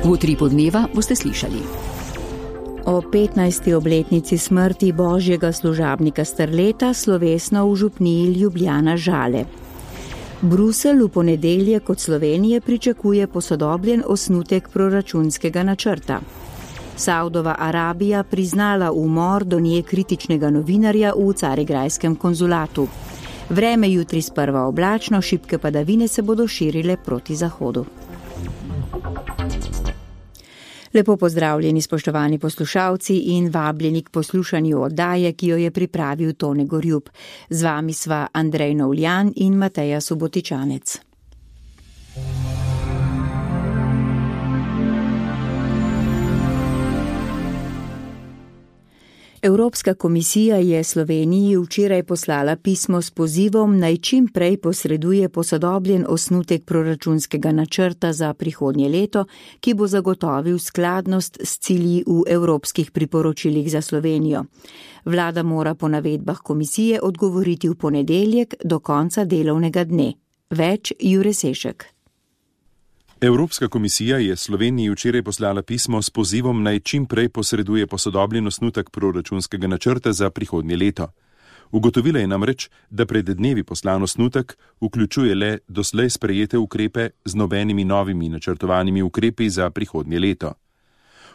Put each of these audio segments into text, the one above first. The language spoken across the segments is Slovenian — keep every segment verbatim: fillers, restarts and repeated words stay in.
V utripu dneva boste slišali. O petnajsti obletnici smrti božjega služabnika Strleta slovesno v župniji Ljubljana Žale. Bruselj v ponedeljek od Slovenije pričakuje posodobljen osnutek proračunskega načrta. Saudova Arabija priznala umor do nje kritičnega novinarja v carigrajskem konzulatu. Vreme jutri sprva oblačno, šibke padavine se bodo širile proti zahodu. Lepo pozdravljeni, spoštovani poslušalci, in vabljeni k poslušanju oddaje, ki jo je pripravil Tone Gorjup. Z vami sva Andrej Novljan in Mateja Subotičanec. Evropska komisija je Sloveniji včeraj poslala pismo s pozivom, naj čim prej posreduje posodobljen osnutek proračunskega načrta za prihodnje leto, ki bo zagotovil skladnost s cilji v evropskih priporočilih za Slovenijo. Vlada mora po navedbah komisije odgovoriti v ponedeljek do konca delovnega dne. Več Jure Sešek. Evropska komisija je Sloveniji včeraj poslala pismo s pozivom, naj čim prej posreduje posodobljen osnutek proračunskega načrta za prihodnje leto. Ugotovila je namreč, da pred dnevi poslan osnutek vključuje le doslej sprejete ukrepe z nobenimi novimi načrtovanimi ukrepi za prihodnje leto.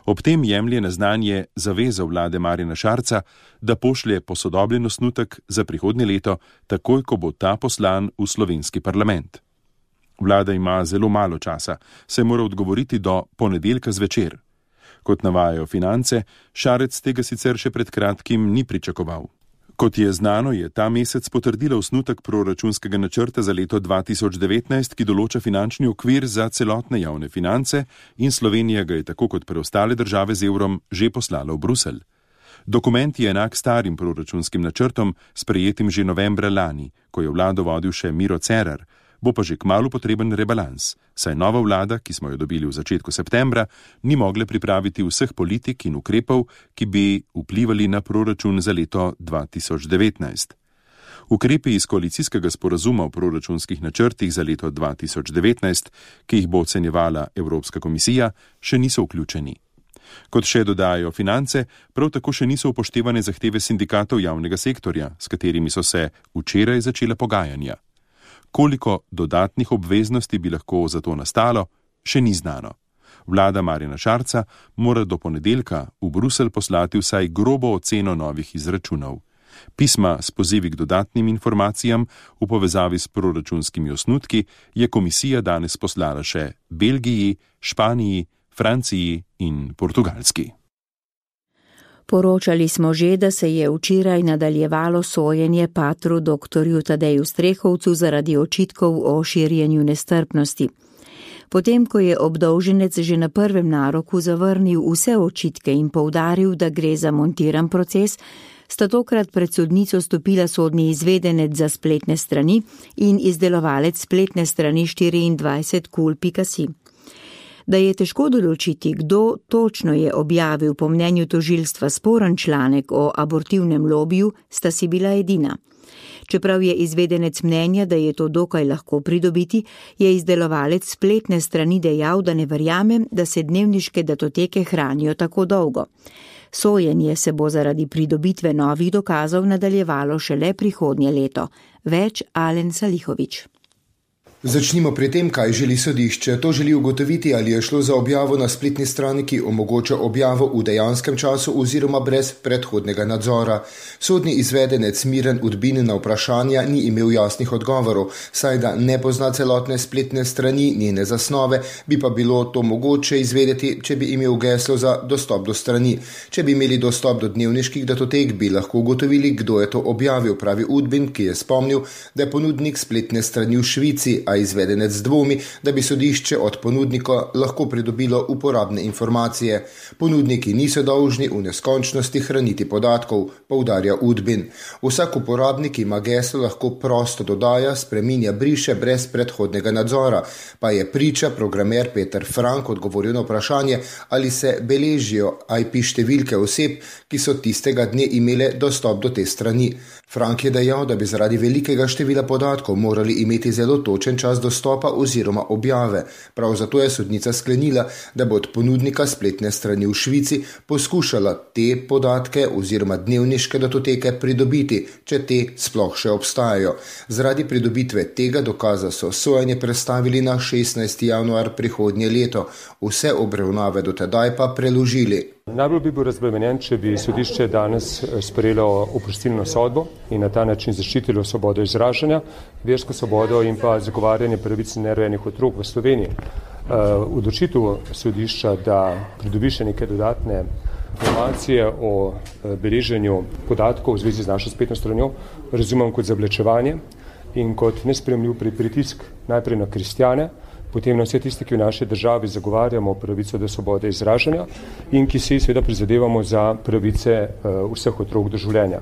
Ob tem jemlje na znanje zavezo vlade Marjana Šarca, da pošlje posodobljen osnutek za prihodnje leto, takoj ko bo ta poslan v slovenski parlament. Vlada ima zelo malo časa, se mora odgovoriti do ponedeljka zvečer. Kot navajajo Finance, Šarec tega sicer še pred kratkim ni pričakoval. Kot je znano, je ta mesec potrdila osnutek proračunskega načrta za leto dva tisoč devetnajst, ki določa finančni okvir za celotne javne finance, in Slovenija ga je tako kot preostale države z evrom že poslala v Bruselj. Dokument je enak starim proračunskim načrtom, sprejetim že novembra lani, ko je vlado vodil še Miro Cerar. Bo pa že kmalu potreben rebalans, saj nova vlada, ki smo jo dobili v začetku septembra, ni mogla pripraviti vseh politik in ukrepov, ki bi vplivali na proračun za leto dva tisoč devetnajst. Ukrepi iz koalicijskega sporazuma o proračunskih načrtih za leto dva tisoč devetnajst, ki jih bo ocenjevala Evropska komisija, še niso vključeni. Kot še dodajajo Finance, prav tako še niso upoštevane zahteve sindikatov javnega sektorja, s katerimi so se včeraj začela pogajanja. Koliko dodatnih obveznosti bi lahko za to nastalo, še ni znano. Vlada Marjana Šarca mora do ponedeljka v Bruselj poslati vsaj grobo oceno novih izračunov. Pisma s pozivi k dodatnim informacijam v povezavi s proračunskimi osnutki je komisija danes poslala še Belgiji, Španiji, Franciji in Portugalski. Poročali smo že, da se je včeraj nadaljevalo sojenje patru doktorju Tadeju Strehovcu zaradi očitkov o širjenju nestrpnosti. Potem, ko je obdolženec že na prvem naroku zavrnil vse očitke in poudaril, da gre za montiran proces, sta tokrat pred sodnico stopila sodni izvedenec za spletne strani in izdelovalec spletne strani štiriindvajset kul pika si. Da je težko določiti, kdo točno je objavil po mnenju tožilstva sporen članek o abortivnem lobiju, sta si bila edina. Čeprav je izvedenec mnenja, da je to dokaj lahko pridobiti, je izdelovalec spletne strani dejal, da ne verjame, da se dnevniške datoteke hranijo tako dolgo. Sojenje se bo zaradi pridobitve novih dokazov nadaljevalo šele prihodnje leto. Več Alen Salihovič. Začnimo pri tem, kaj želi sodišče. To želi ugotoviti, ali je šlo za objavo na spletni strani, ki omogoča objavo v dejanskem času oziroma brez predhodnega nadzora. Sodni izvedenec Miran Udbin na vprašanja ni imel jasnih odgovorov, saj da ne pozna celotne spletne strani, njene zasnove, bi pa bilo to mogoče izvedeti, če bi imel geslo za dostop do strani. Če bi imeli dostop do dnevniških datotek, bi lahko ugotovili, kdo je to objavil, pravi Udbin, ki je spomnil, da je ponudnik spletne strani v Švici, a izvedenec dvomi, da bi sodišče od ponudnika lahko pridobilo uporabne informacije. Ponudniki niso dolžni v neskončnosti hraniti podatkov, poudarja Udbin. Vsak uporabnik ima geslo lahko prosto dodaja, spreminja, briše brez predhodnega nadzora, pa je priča programer Peter Frank odgovoril na vprašanje, ali se beležijo I P številke oseb, ki so tistega dne imele dostop do te strani. Frank je dejal, da bi zaradi velikega števila podatkov morali imeti zelo točen čas dostopa oziroma objave. Prav zato je sodnica sklenila, da bo od ponudnika spletne strani v Švici poskušala te podatke oziroma dnevniške datoteke pridobiti, če te sploh še obstajajo. Zaradi pridobitve tega dokaza so sojenje prestavili na šestnajsti januar prihodnje leto, vse obravnave do tedaj pa preložili. Najbolj bi bil razbremenjen, če bi sodišče danes sprejelo oprostilno sodbo in na ta način zaščitilo svobodo izražanja, versko svobodo in pa zagovarjanje pravic nerojenih otrok v Sloveniji. Odločitev sodišča, da pridobi še neke dodatne informacije o beleženju podatkov v zvezi z našo spletno stranjo, razumem kot zavlačevanje in kot nesprejemljiv pritisk najprej na kristjane, potem na vse tiste, ki v naši državi zagovarjamo pravico do svobode izražanja in ki si seveda prizadevamo za pravice vseh otrok do življenja.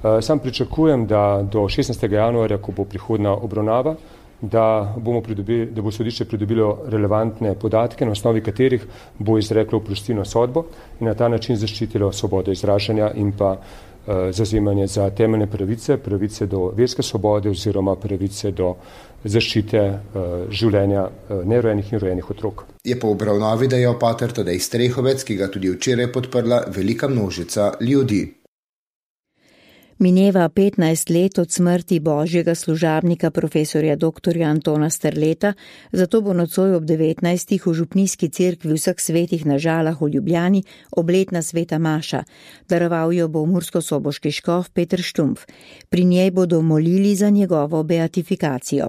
Sam pričakujem, da do šestnajstega januarja, ko bo prihodna obravnava, da, bomo pridobili, da bo sodišče pridobilo relevantne podatke, na osnovi katerih bo izreklo oprostilno sodbo in na ta način zaščitilo svobodo izražanja in pa zavzemanje za temeljne pravice, pravice do verske svobode oziroma pravice do zaščite uh, življenja uh, nerojenih in rojenih otrok. Je po obravnavi dejal pater Tadej Strehovec, ki ga tudi včeraj podprla velika množica ljudi. Mineva petnajst let od smrti božjega služabnika profesorja doktorja Antona Strleta, zato bo nocoj ob devetnajstih v župnijski cerkvi vseh svetih na Žalah v Ljubljani obletna sveta maša. Daroval jo bo murskosoboški škof Peter Štumpf. Pri njej bodo molili za njegovo beatifikacijo.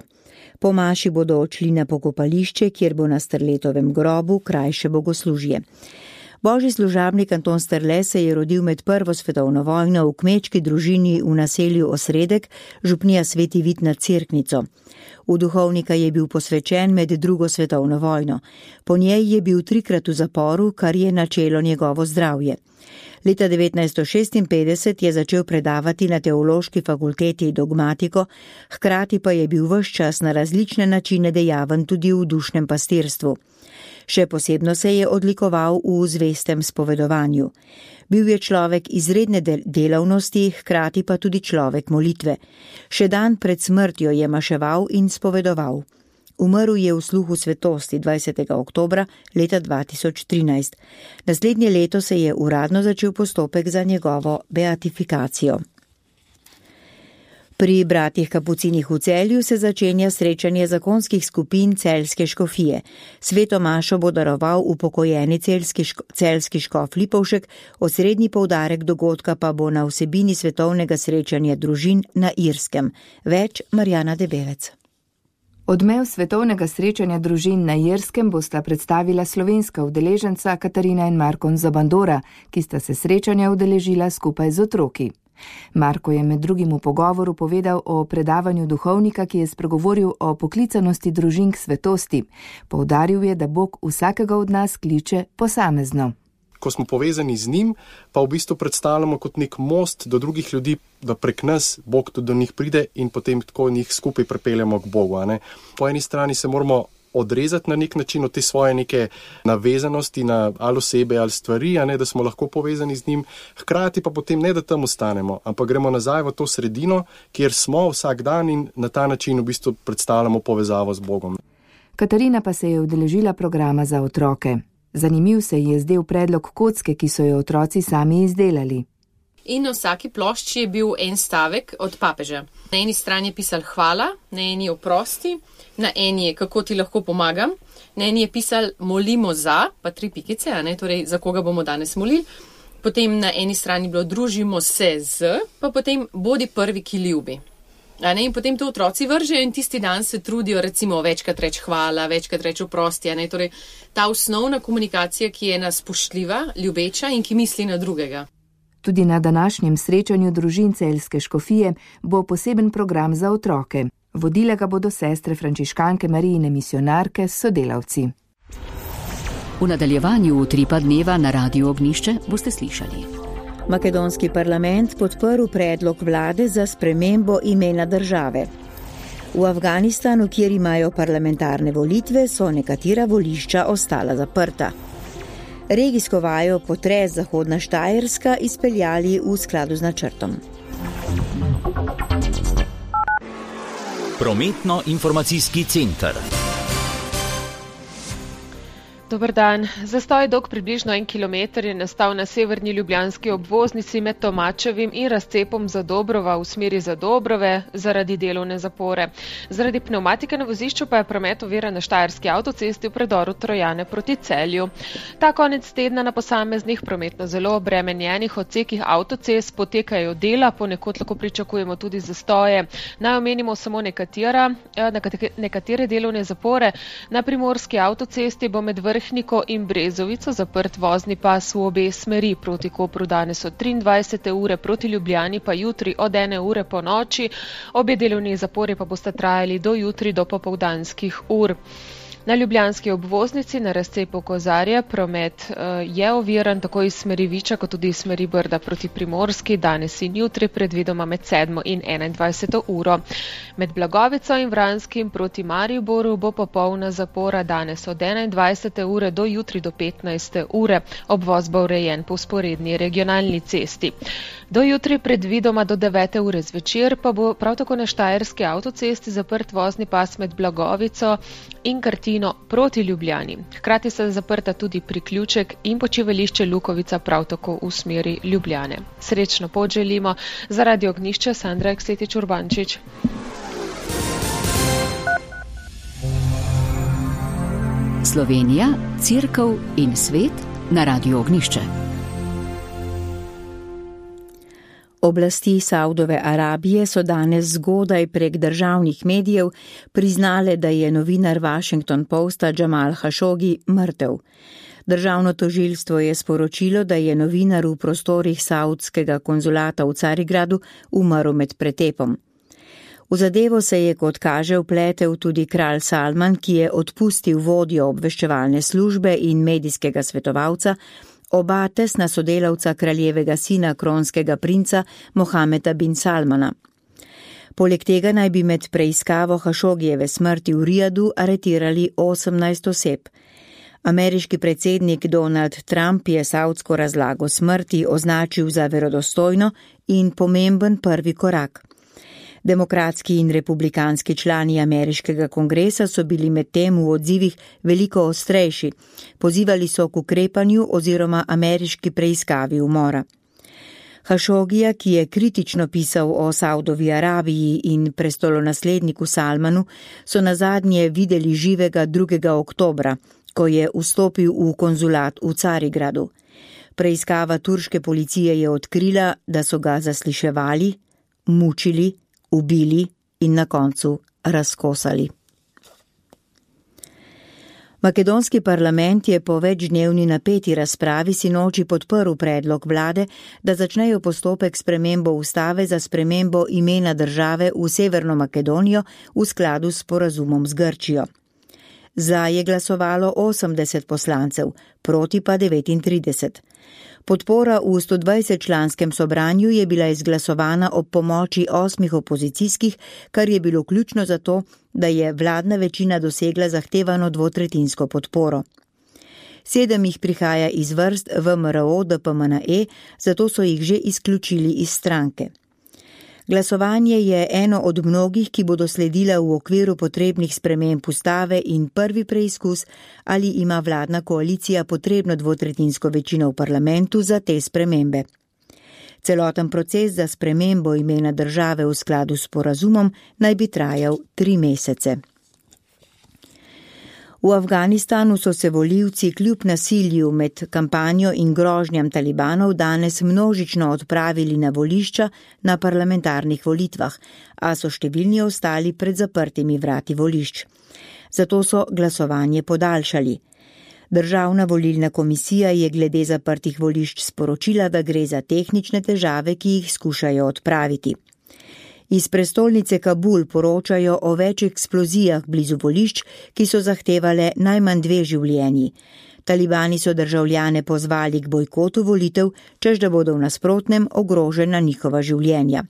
Po maši bodo odšli na pokopališče, kjer bo na Strletovem grobu krajše bogoslužje. Božji služabnik Anton Strle se je rodil med prvo svetovno vojno v kmečki družini v naselju Osredek, župnija Sveti Vid nad Cerknico. V duhovnika je bil posvečen med drugo svetovno vojno. Po njej je bil trikrat v zaporu, kar je načelo njegovo zdravje. Leta devetnajststo šestinpetdeset je začel predavati na teološki fakulteti dogmatiko, hkrati pa je bil ves čas na različne načine dejaven tudi v dušnem pastirstvu. Še posebno se je odlikoval v zvestem spovedovanju. Bil je človek izredne delavnosti, hkrati pa tudi človek molitve. Še dan pred smrtjo je maševal in spovedoval. Umrl je v sluhu svetosti dvajsetega oktobra leta dva tisoč trinajst. Naslednje leto se je uradno začel postopek za njegovo beatifikacijo. Pri bratih Kapucinih v Celju se začenja srečanje zakonskih skupin Celjske škofije. Sveto mašo bo daroval upokojeni celjski, ško, celjski škof Lipovšek, osrednji poudarek dogodka pa bo na vsebini svetovnega srečanja družin na Irskem. Več Marjana Debevec. Odmev svetovnega srečanja družin na Irskem bosta predstavila slovenska udeleženca Katarina in Marko Zabandora, ki sta se srečanja udeležila skupaj z otroki. Marko je med drugim v pogovoru povedal o predavanju duhovnika, ki je spregovoril o poklicanosti družin k svetosti. Poudaril je, da Bog vsakega od nas kliče posamezno. Ko smo povezani z njim, pa v bistvu predstavljamo kot nek most do drugih ljudi, da prek nas Bog tudi do njih pride in potem tako njih skupaj pripeljamo k Bogu. A ne? Po eni strani se moramo odrezati na nek način od te svoje neke navezanosti na ali osebe ali stvari, a ne, da smo lahko povezani z njim, hkrati pa potem ne, da tam ostanemo, ampak gremo nazaj v to sredino, kjer smo vsak dan in na ta način v bistvu predstavljamo povezavo z Bogom. Katarina pa se je udeležila programa za otroke. Zanimiv se je zdel predlog kocke, ki so jo otroci sami izdelali. In na vsaki plošči je bil en stavek od papeža. Na eni strani je pisal hvala, na eni oprosti, na eni je kako ti lahko pomagam, na eni je pisal molimo za, pa tri pikice, a ne, torej za koga bomo danes molili. Potem na eni strani bilo družimo se z, pa potem bodi prvi, ki ljubi. A ne, in potem to otroci vržejo in tisti dan se trudijo recimo večkrat reči hvala, večkrat reči oprosti, a ne, torej ta osnovna komunikacija, ki je ena spoštljiva, ljubeča in ki misli na drugega. Tudi na današnjem srečanju družin Celjske škofije bo poseben program za otroke. Vodile ga bodo sestre frančiškanke Marijine misionarke s sodelavci. V nadaljevanju utripa dneva na Radiu Ognjišče boste slišali. Makedonski parlament podprl predlog vlade za spremembo imena države. V Afganistanu, kjer imajo parlamentarne volitve, so nekatera volišča ostala zaprta. Regijsko vajo potres Zahodna Štajerska izpeljali v skladu z načrtom. Prometno-informacijski center. Dober dan. Zastoj dolg približno en kilometer je nastal na severni ljubljanski obvoznici med Tomačevim in razcepom Zadobrova v smeri Zadobrove zaradi delovne zapore. Zaradi pnevmatike na vozišču pa je promet oviran na Štajerski avtocesti v predoru Trojane proti Celju. Ta konec tedna na posameznih prometno zelo obremenjenih odsekih avtocest potekajo dela, ponekod lahko pričakujemo tudi zastoje. Naj omenimo samo nekatera, nekatere delovne zapore. Na primorski avtocesti bo med Vrhniko in Brezovico zaprt vozni pas v obe smeri, proti Kopru danes od triindvajsete ure, proti Ljubljani pa jutri od ene ure po noči. Obe delovni zapori pa bosta trajali do jutri do popoldanskih ur. Na ljubljanski obvoznici na razcepu Kozarja promet uh, je oviran tako iz smeri Viča kot tudi iz smeri Brda proti Primorski, danes in jutri predvidoma med sedmo in enaindvajseto uro. Med Blagovico in Vranskim proti Mariboru bo popolna zapora danes od enaindvajsete ure do jutri do petnajste ure. Obvoz bo urejen po vzporedni regionalni cesti. Do jutri predvidoma do devete ure zvečer pa bo prav tako na Štajerski avtocesti zaprt vozni pas med Blagovico in Krtino proti Ljubljani. Hkrati sta zaprta tudi priključek in počivališče Lukovica prav tako v smeri Ljubljane. Srečno pot želimo. Za Radio Ognjišče Sandra Eksetič Urbančič. Slovenija, Cerkev in svet na Radio Ognjišče. Oblasti Saudove Arabije so danes zgodaj prek državnih medijev priznale, da je novinar Washington Posta Jamal Khashoggi mrtev. Državno tožilstvo je sporočilo, da je novinar v prostorih saudskega konzulata v Carigradu umrl med pretepom. V zadevo se je, kot kaže, vpletel tudi kralj Salman, ki je odpustil vodjo obveščevalne službe in medijskega svetovalca, oba tesna sodelavca kraljevega sina kronskega princa Mohameda bin Salmana. Poleg tega naj bi med preiskavo Khashoggijeve smrti v Rijadu aretirali osemnajst oseb. Ameriški predsednik Donald Trump je saudsko razlago smrti označil za verodostojno in pomemben prvi korak. Demokratski in republikanski člani ameriškega kongresa so bili medtem v odzivih veliko ostrejši. Pozivali so k ukrepanju oziroma ameriški preiskavi umora. Khashoggija, ki je kritično pisal o Saudovi Arabiji in prestolonasledniku Salmanu, so nazadnje videli živega drugega oktobra, ko je vstopil v konzulat v Carigradu. Preiskava turške policije je odkrila, da so ga zasliševali, mučili, ubili in na koncu razkosali. Makedonski parlament je po večdnevni napeti razpravi sinoči podprl predlog vlade, da začnejo postopek spremembo ustave za spremembo imena države v Severno Makedonijo v skladu s sporazumom z Grčijo. Za je glasovalo osemdeset poslancev, proti pa devetintrideset. Podpora v sto dvajset članskem sobranju je bila izglasovana ob pomoči osmih opozicijskih, kar je bilo ključno za to, da je vladna večina dosegla zahtevano dvotretinsko podporo. Sedem jih prihaja iz vrst V M R O D P M N E, zato so jih že izključili iz stranke. Glasovanje je eno od mnogih, ki bodo sledila v okviru potrebnih sprememb ustave in prvi preizkus, ali ima vladna koalicija potrebno dvotretinsko večino v parlamentu za te spremembe. Celoten proces za spremembo imena države v skladu s sporazumom naj bi trajal tri mesece. V Afganistanu so se volivci kljub nasilju med kampanjo in grožnjam talibanov danes množično odpravili na volišča na parlamentarnih volitvah, a so številni ostali pred zaprtimi vrati volišč. Zato so glasovanje podaljšali. Državna volilna komisija je glede zaprtih volišč sporočila, da gre za tehnične težave, ki jih skušajo odpraviti. Iz prestolnice Kabul poročajo o več eksplozijah blizu volišč, ki so zahtevale najmanj dve življenji. Talibani so državljane pozvali k bojkotu volitev, čež da bodo v nasprotnem ogrožena njihova življenja.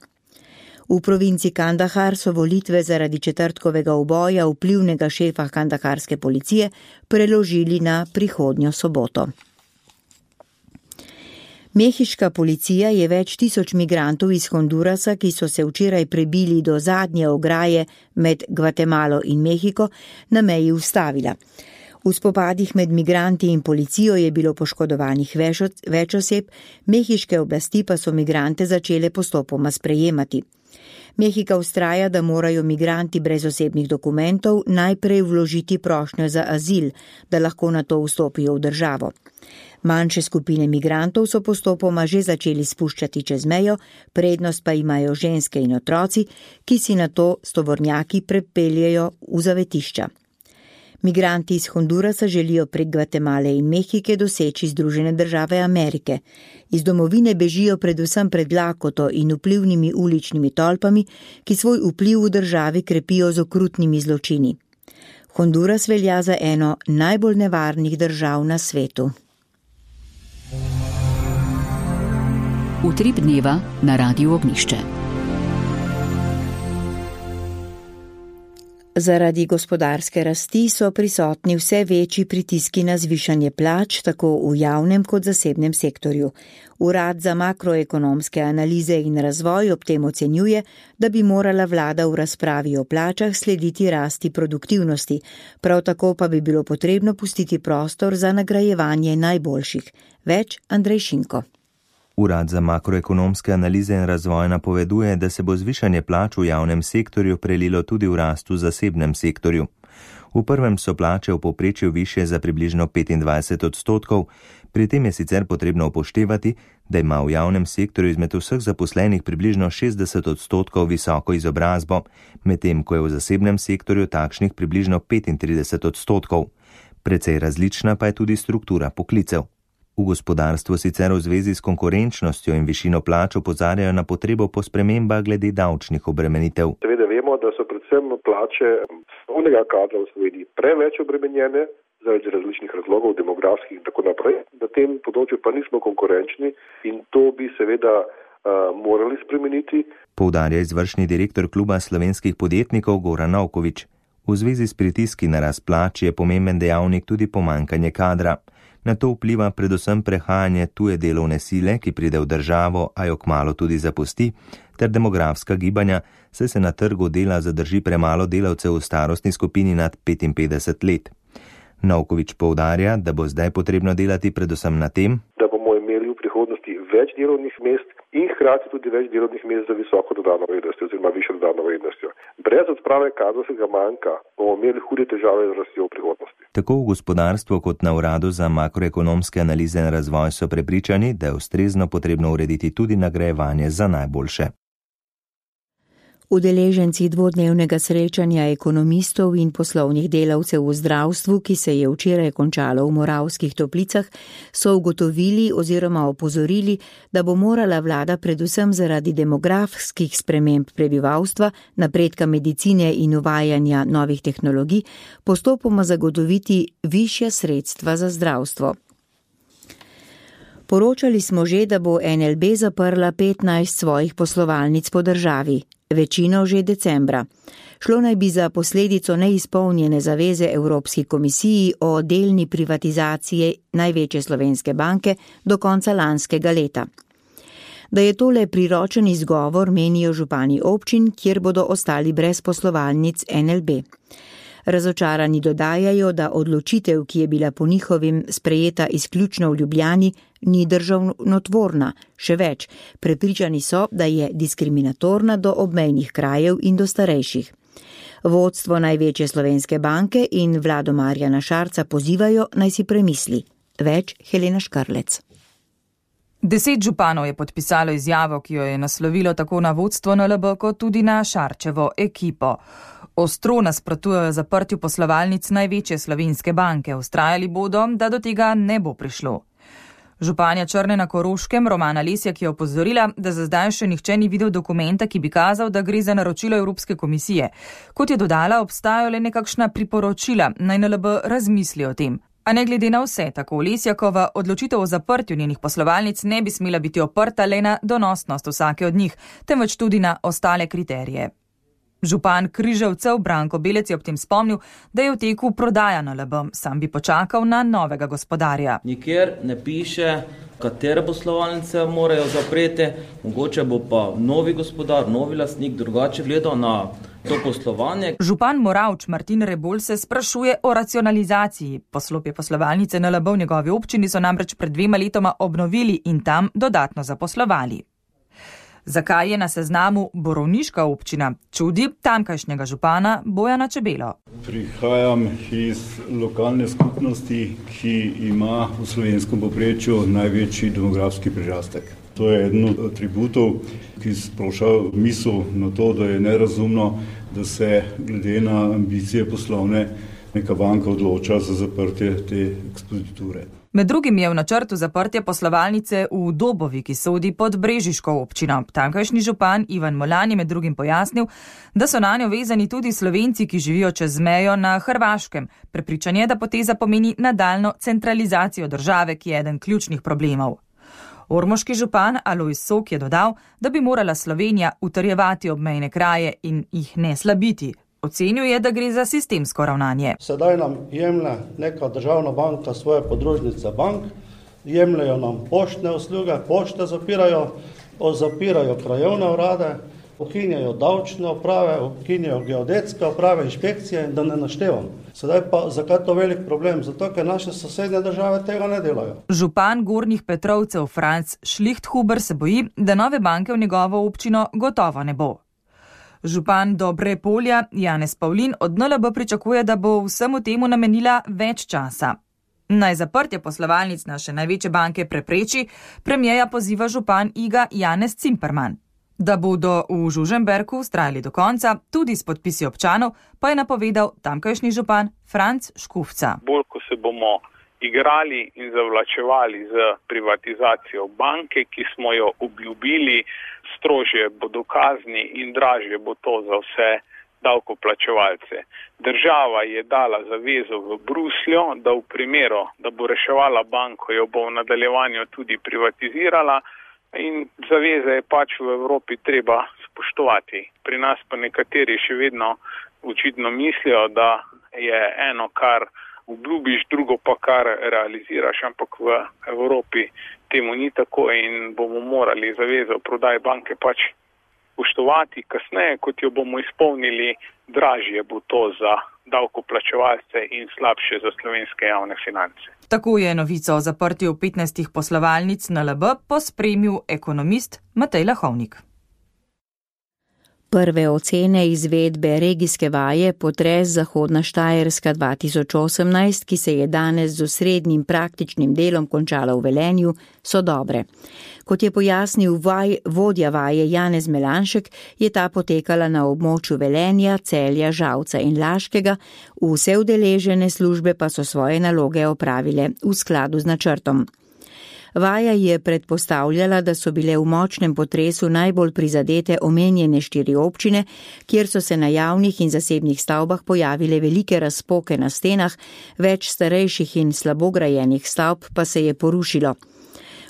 V provinci Kandahar so volitve zaradi četrtkovega uboja vplivnega šefa kandaharske policije preložili na prihodnjo soboto. Mehiška policija je več tisoč migrantov iz Hondurasa, ki so se včeraj prebili do zadnje ograje med Gvatemalo in Mehiko, na meji ustavila. V spopadih med migranti in policijo je bilo poškodovanih več oseb, mehiške oblasti pa so migrante začele postopoma sprejemati. Mehika vztraja, da morajo migranti brez osebnih dokumentov najprej vložiti prošnjo za azil, da lahko nato vstopijo v državo. Manjše skupine migrantov so postopoma že začeli spuščati čez mejo, prednost pa imajo ženske in otroci, ki si nato s tovornjaki prepeljejo v zavetišča. Migranti iz Hondurasa želijo prek Gvatemale in Mehike doseči Združene države Amerike. Iz domovine bežijo predvsem pred lakoto in vplivnimi uličnimi tolpami, ki svoj vpliv v državi krepijo z okrutnimi zločini. Honduras velja za eno najbolj nevarnih držav na svetu. Utrip dneva na Radiu Ognišče. Zaradi gospodarske rasti so prisotni vse večji pritiski na zvišanje plač, tako v javnem kot zasebnem sektorju. Urad za makroekonomske analize in razvoj ob tem ocenjuje, da bi morala vlada v razpravi o plačah slediti rasti produktivnosti, prav tako pa bi bilo potrebno pustiti prostor za nagrajevanje najboljših. Več Andrej Šinko. Urad za makroekonomske analize in razvoj napoveduje, da se bo zvišanje plač v javnem sektorju prelilo tudi v rast v zasebnem sektorju. V prvem so plače v povprečju višje za približno petindvajset odstotkov, pri tem je sicer potrebno upoštevati, da ima v javnem sektorju izmed vseh zaposlenih približno šestdeset odstotkov visoko izobrazbo, medtem ko je v zasebnem sektorju takšnih približno petintrideset odstotkov. Precej različna pa je tudi struktura poklicev. V gospodarstvu sicer v zvezi s konkurenčnostjo in višino plač opozarjajo na potrebo po spremembah glede davčnih obremenitev. Seveda vemo, da so predvsem plače strokovnega kadra v Sloveniji preveč obremenjene zaradi različnih razlogov, demografskih in tako naprej. Na tem področju pa nismo konkurenčni in to bi seveda uh, morali spremeniti. Poudarja izvršni direktor kluba slovenskih podjetnikov Goran Novković. V zvezi s pritiski na rast plač je pomemben dejavnik tudi pomanjkanje kadra. Na to vpliva predvsem prehajanje tuje delovne sile, ki pride v državo, a jo kmalu tudi zapusti, ter demografska gibanja, saj se na trgu dela zadrži premalo delavcev v starostni skupini nad petinpetdeset let. Novković poudarja, da bo zdaj potrebno delati predvsem na tem, da bomo imeli v prihodnosti več delovnih mest in hkrati tudi več delovnih mest za visoko dodano vrednostjo oziroma višjo dodano vrednostjo. Brez odprave kadrovskega manjka bomo imeli hude težave z rastjo v prihodnosti. Tako v gospodarstvu kot na Uradu za makroekonomske analize in razvoj so prepričani, da je ustrezno potrebno urediti tudi nagrajevanje za najboljše. Udeleženci dvodnevnega srečanja ekonomistov in poslovnih delavcev v zdravstvu, ki se je včeraj končalo v Moravskih Toplicah, so ugotovili oziroma opozorili, da bo morala vlada predvsem zaradi demografskih sprememb prebivalstva, napredka medicine in uvajanja novih tehnologij postopoma zagotoviti višja sredstva za zdravstvo. Poročali smo že, da bo en el be zaprla petnajst svojih poslovalnic po državi. Večino že decembra. Šlo naj bi za posledico neizpolnjene zaveze Evropski komisiji o delni privatizaciji največje slovenske banke do konca lanskega leta. Da je tole priročen izgovor, menijo župani občin, kjer bodo ostali brez poslovalnic en el be. Razočarani dodajajo, da odločitev, ki je bila po njihovim sprejeta izključno v Ljubljani, ni državnotvorna, še več, prepričani so, da je diskriminatorna do obmejnih krajev in do starejših. Vodstvo največje slovenske banke in vlado Marjana Šarca pozivajo, naj si premisli. Več Helena Škarlec. Deset županov je podpisalo izjavo, ki jo je naslovilo tako na vodstvo en el be kot tudi na Šarčevo ekipo. Ostro nasprotujejo zaprtju poslovalnic največje slovenske banke. Vztrajali bodo, da do tega ne bo prišlo. Županja Črne na Koroškem Romana Lesjak je opozorila, da za zdaj še nihče ni videl dokumenta, ki bi kazal, da gre za naročilo Evropske komisije. Kot je dodala, obstajajo le nekakšna priporočila, naj en el be razmisli o tem. A ne glede na vse, tako Lesjakova odločitev o zaprtju njenih poslovalnic ne bi smela biti oprta le na donosnost vsake od njih, temveč tudi na ostale kriterije. Župan Križevcev Branko Belec je ob tem spomnil, da je v teku prodaja en el be, sam bi počakal na novega gospodarja. Nikjer ne piše, katere poslovalnice morajo zapreti, mogoče bo pa novi gospodar, novi lastnik drugače gledal na to poslovanje. Župan Moravč Martin Rebolj se sprašuje o racionalizaciji. Poslopje poslovalnice N L B v njegovi občini so namreč pred dvema letoma obnovili in tam dodatno zaposlovali. Zakaj je na seznamu borovniška občina, čudi tamkajšnjega župana Bojana Čebelo. Prihajam iz lokalne skupnosti, ki ima v slovenskem povprečju največji demografski prirastek. To je eden od atributov, ki sproša misel na to, da je nerazumno, da se glede na ambicije poslovne neka banka odloča za zaprtje te ekspoziture. Med drugim je v načrtu zaprtje poslovalnice v Dobovi, ki sodi pod brežiško občino. Tamkajšnji župan Ivan Molan je med drugim pojasnil, da so nanjo vezani tudi Slovenci, ki živijo čez mejo na Hrvaškem. Prepričan je, da poteza pomeni nadaljnjo centralizacijo države, ki je eden ključnih problemov. Ormoški župan Alojz Sok je dodal, da bi morala Slovenija utrjevati obmejne kraje in jih ne slabiti. Ocenil je, da gre za sistemsko ravnanje. Sedaj nam jemlje neka državna banka svoje podružnice bank, jemljajo nam poštne usluge, pošte zapirajo, zapirajo krajevne urade, ukinjajo davčne uprave, ukinjajo geodetske uprave, inšpekcije, da ne naštevam. Sedaj pa zakaj to velik problem? Zato, ker naše sosednje države tega ne delajo. Župan Gornjih Petrovcev Franc Šlichthuber se boji, da nove banke v njegovo občino gotovo ne bo. Župan Dobre Polja Janez Pavlin od N L B pričakuje, da bo vsemu temu namenila več časa. Naj zaprtje poslovalnic naše največje banke prepreči, premierja poziva župan Iga Janez Cimperman. Da bodo v Žužemberku vztrajali do konca, tudi s podpisi občanov, pa je napovedal tamkajšnji župan Franc Škufca. Bolj, ko se bomo igrali in zavlačevali z privatizacijo banke, ki smo jo obljubili, strožje bodo kazni in dražje bo to za vse davkoplačevalce. Država je dala zavezo v Bruslju, da v primeru, da bo reševala banko, jo bo v nadaljevanju tudi privatizirala in zaveze je pač v Evropi treba spoštovati. Pri nas pa nekateri še vedno očitno mislijo, da je eno, kar obljubiš, drugo pa kar realiziraš, ampak v Evropi temu ni tako in bomo morali zavezo prodaje banke pač spoštovati. Kasneje, kot jo bomo izpolnili, dražje bo to za davkoplačevalce in slabše za slovenske javne finance. Tako je novico o zaprtju petnajstih poslovalnic N L B pospremil ekonomist Matej Lahovnik. Prve ocene izvedbe regijske vaje Potres Zahodna Štajerska dva tisoč osemnajst, ki se je danes z osrednjim praktičnim delom končala v Velenju, so dobre. Kot je pojasnil vaj, vodja vaje Janez Melanšek, je ta potekala na območju Velenja, Celja, Žalca in Laškega, vse udeležene službe pa so svoje naloge opravile v skladu z načrtom. Vaja je predpostavljala, da so bile v močnem potresu najbolj prizadete omenjene štiri občine, kjer so se na javnih in zasebnih stavbah pojavile velike razpoke na stenah, več starejših in slabograjenih stavb pa se je porušilo.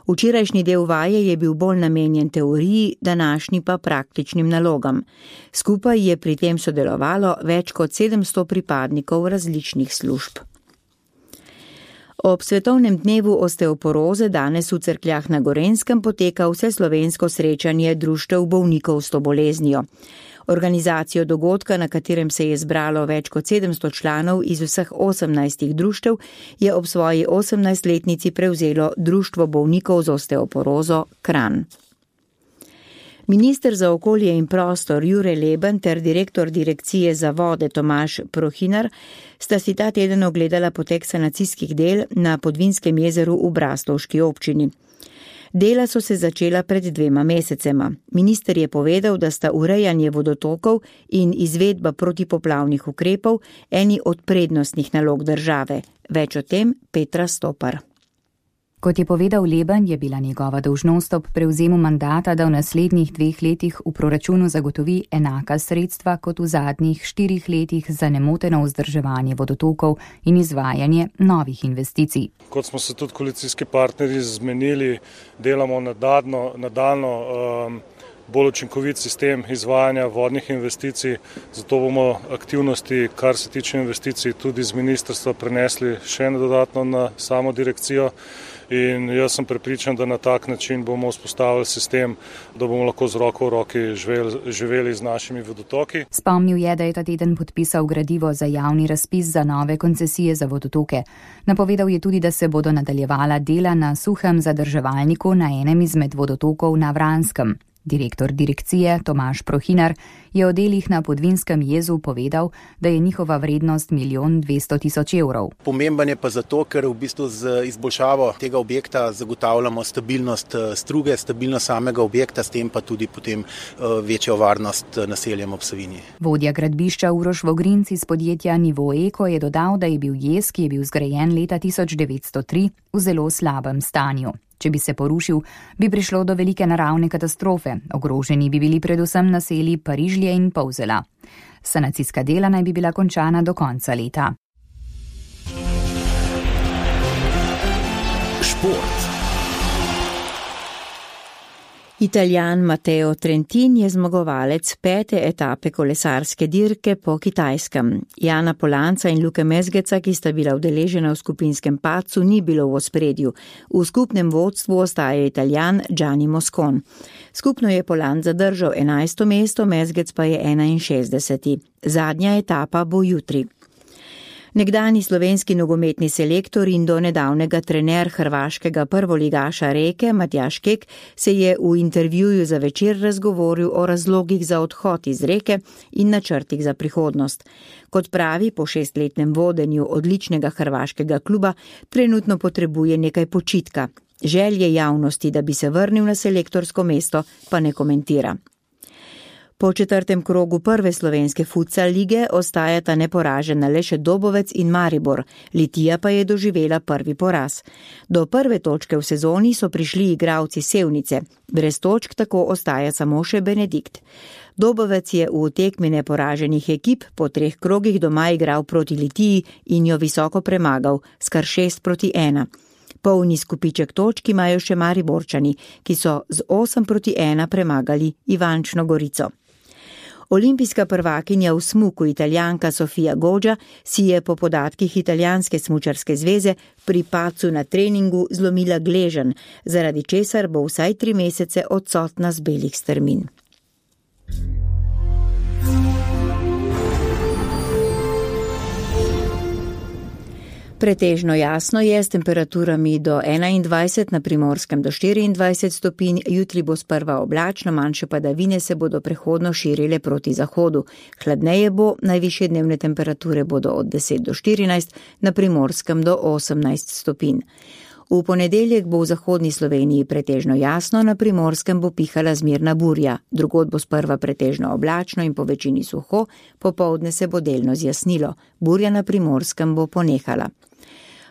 Včerajšnji del vaje je bil bolj namenjen teoriji, današnji pa praktičnim nalogam. Skupaj je pri tem sodelovalo več kot sedemsto pripadnikov različnih služb. Ob svetovnem dnevu osteoporoze danes v Cerkljah na Gorenjskem poteka vseslovensko srečanje društev bolnikov s to boleznijo. Organizacijo dogodka, na katerem se je zbralo več kot sedemsto članov iz vseh osemnajstih društev, je ob svoji osemnajstletnici prevzelo Društvo bolnikov z osteoporozo Kranj. Minister za okolje in prostor Jure Leben ter direktor direkcije za vode Tomaž Prohinar sta si ta teden ogledala potek sanacijskih del na Podvinskem jezeru v Braslovški občini. Dela so se začela pred dvema mesecema. Minister je povedal, da sta urejanje vodotokov in izvedba protipoplavnih ukrepov eni od prednostnih nalog države. Več o tem Petra Stopar. Kot je povedal Leben, je bila njegova dolžnost ob prevzemu mandata, da v naslednjih dveh letih v proračunu zagotovi enaka sredstva kot v zadnjih štirih letih za nemoteno vzdrževanje vodotokov in izvajanje novih investicij. Kot smo se tudi koalicijski partnerji zmenili, delamo nadaljno, nadaljno um, bolj učinkovit sistem izvajanja vodnih investicij, zato bomo aktivnosti, kar se tiče investicij, tudi z ministrstva prenesli še dodatno na samo direkcijo. in jaz sem prepričan, da na tak način bomo vzpostavili sistem, da bomo lahko z roko v roki živeli, živeli z našimi vodotoki. Spomnil je, da je ta teden podpisal gradivo za javni razpis za nove koncesije za vodotoke. Napovedal je tudi, da se bodo nadaljevala dela na suhem zadrževalniku na enem izmed vodotokov na Vranskem. Direktor direkcije Tomaž Prohinar je o delih na Podvinskem jezu povedal, da je njihova vrednost milijon dvesto tisoč evrov. Pomemben je pa zato, ker v bistvu z izboljšavo tega objekta zagotavljamo stabilnost struge, stabilnost samega objekta, s tem pa tudi potem večjo varnost naseljem ob Savinji. Vodja gradbišča Uroš Vogrinc iz podjetja Nivo Eko je dodal, da je bil jez, ki je bil zgrajen leta tisoč devetsto tri, v zelo slabem stanju. Če bi se porušil, bi prišlo do velike naravne katastrofe. Ogroženi bi bili predvsem naselji Parižlje in Polzela. Sanacijska dela naj bi bila končana do konca leta. Šport. Italijan Matteo Trentin je zmagovalec pete etape kolesarske dirke po Kitajskem. Jana Polanca in Luke Mezgeca, ki sta bila udeležena v skupinskem padcu, ni bilo v ospredju. V skupnem vodstvu ostaja Italijan Gianni Moscon. Skupno je Polanc zadržal enajsto mesto, Mezgec pa je enainšestdeseti. Zadnja etapa bo jutri. Nekdani slovenski nogometni selektor in do nedavnega trener hrvaškega prvoligaša Reke Matjaž Kek se je v intervjuju za Večer razgovoril o razlogih za odhod iz Reke in načrtih za prihodnost. Kot pravi, po šestletnem vodenju odličnega hrvaškega kluba trenutno potrebuje nekaj počitka. Želje javnosti, da bi se vrnil na selektorsko mesto, pa ne komentira. Po četrtem krogu prve slovenske futsal lige ostajata neporažena le še Dobovec in Maribor, Litija pa je doživela prvi poraz. Do prve točke v sezoni so prišli igralci Sevnice, brez točk tako ostaja samo še Benedikt. Dobovec je v tekmi neporaženih ekip po treh krogih doma igral proti Litiji in jo visoko premagal, s kar šest proti ena. Polni skupiček točk imajo še Mariborčani, ki so z osem proti ena premagali Ivančno Gorico. Olimpijska prvakinja v smuku Italijanka Sofia Goggia si je po podatkih Italijanske smučarske zveze pri padcu na treningu zlomila gleženj, zaradi česar bo vsaj tri mesece odsotna z belih strmin. Pretežno jasno je s temperaturami do enaindvajset, na Primorskem do štiriindvajset stopinj, jutri bo sprva oblačno, manjše padavine se bodo prehodno širile proti zahodu. Hladneje bo, najvišje dnevne temperature bodo od deset do štirinajst, na Primorskem do osemnajst stopinj. V ponedeljek bo v zahodni Sloveniji pretežno jasno, na Primorskem bo pihala zmerna burja, drugod bo sprva pretežno oblačno in po večini suho, popoldne se bo delno zjasnilo, burja na Primorskem bo ponehala.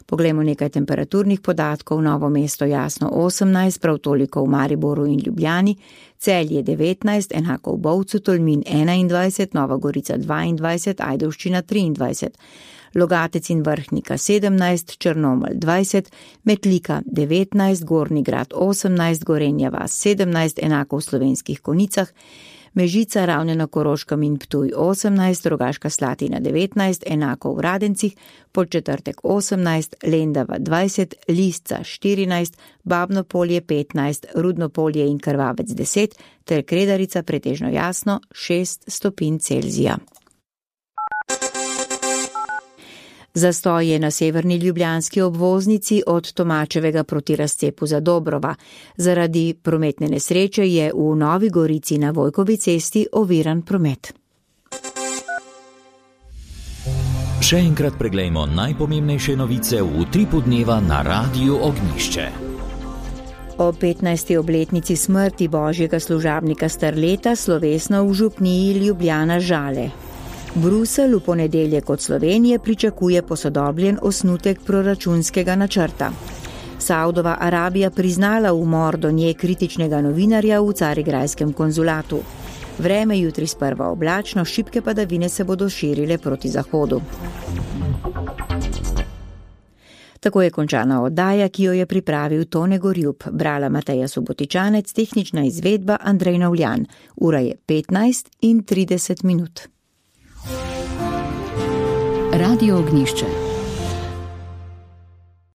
Poglejmo nekaj temperaturnih podatkov. Novo mesto jasno osemnajst, prav toliko v Mariboru in Ljubljani, Celje devetnajst, enako v Bovcu, Tolmin enaindvajset, Nova Gorica dvaindvajset, Ajdovščina triindvajset, Logatec in Vrhnika sedemnajst, Črnomelj dvajset, Metlika devetnajst, Gornji Grad osemnajst, Gorenja vas sedemnajst, enako v Slovenskih Konicah, Mežica, Ravne na Koroškem in Ptuj osemnajst, Rogaška Slatina devetnajst, enako v Radencih, Podčetrtek osemnajst, Lendava dvajset, Lisca štirinajst, Babno Polje petnajst, Rudno Polje in Krvavec deset, ter Kredarica pretežno jasno šest stopinj Celzija. Zastoj je na severni ljubljanski obvoznici od Tomačevega proti razcepu za Dobrova. Zaradi prometne nesreče je v Novi Gorici na Vojkovi cesti oviran promet. Še enkrat preglejmo najpomembnejše novice v utripu dneva na Radiu Ognjišče. O petnajsti obletnici smrti božjega služabnika Starleta slovesno v župniji Ljubljana Žale. Bruselj v ponedeljek od Slovenije pričakuje posodobljen osnutek proračunskega načrta. Saudova Arabija priznala umor do nje kritičnega novinarja v carigrajskem konzulatu. Vreme jutri sprva oblačno, šibke padavine se bodo širile proti zahodu. Tako je končana oddaja, ki jo je pripravil Tone Gorjub, brala Mateja Subotičanec, tehnična izvedba Andrej Navljan. Ura je petnajst in trideset minut. Radio Ognjišče.